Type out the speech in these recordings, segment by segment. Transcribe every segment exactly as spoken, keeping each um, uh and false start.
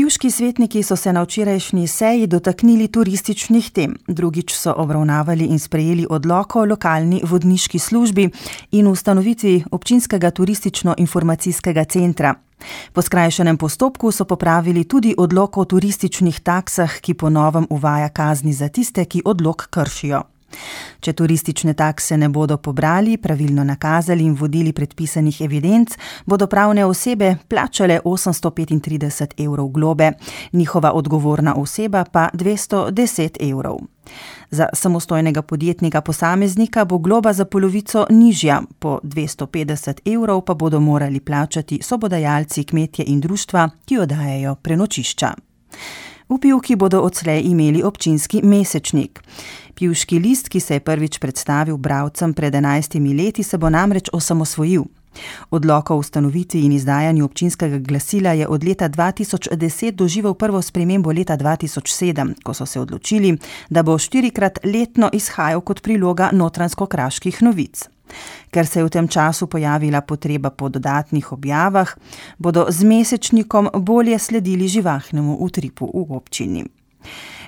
Pivški svetniki so se na včerajšnji seji dotaknili turističnih tem. Drugič so obravnavali in sprejeli odlok o lokalni vodniški službi in ustanovitvi občinskega turistično-informacijskega centra. Po skrajšanem postopku so popravili tudi odlok o turističnih taksah, ki po novem uvaja kazni za tiste, ki odlok kršijo. Če turistične takse ne bodo pobrali, pravilno nakazali in vodili predpisanih evidenc, bodo pravne osebe plačale osemsto petintrideset evrov globe, njihova odgovorna oseba pa dvesto deset evrov. Za samostojnega podjetnika posameznika bo globa za polovico nižja, po dvesto petdeset evrov pa bodo morali plačati sobodajalci, kmetje in društva, ki oddajajo prenočišča. V Pivki bodo odslej imeli občinski mesečnik. Pivški list, ki se je prvič predstavil bralcem pred enajstimi leti, se bo namreč osamosvojil. Odlok o ustanovitvi in izdajanju občinskega glasila je od leta dva tisoč deset doživel prvo spremembo leta dva tisoč sedem, ko so se odločili, da bo štirikrat letno izhajal kot priloga Notranjsko-kraških novic. Ker se je v tem času pojavila potreba po dodatnih objavah, bodo z mesečnikom bolje sledili živahnemu utripu v občini.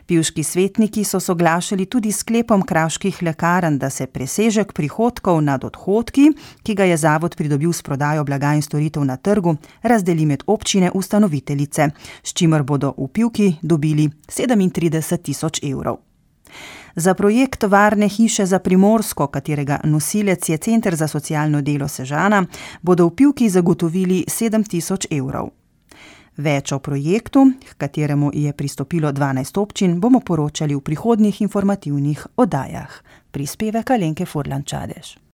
Pivški svetniki so soglašali tudi s sklepom kraških lekarn, da se presežek prihodkov nad odhodki, ki ga je zavod pridobil s prodajo blaga in storitev na trgu, razdeli med občine ustanoviteljice, s čimer bodo v Pivki dobili sedemintrideset tisoč evrov. Za projekt varne hiše za Primorsko, katerega nosilec je Center za socialno delo Sežana, bodo v Pivki zagotovili sedem tisoč evrov. Več o projektu, k kateremu je pristopilo dvanajst občin, bomo poročali v prihodnjih informativnih oddajah. Prispevek Alenke Furlan Čadež.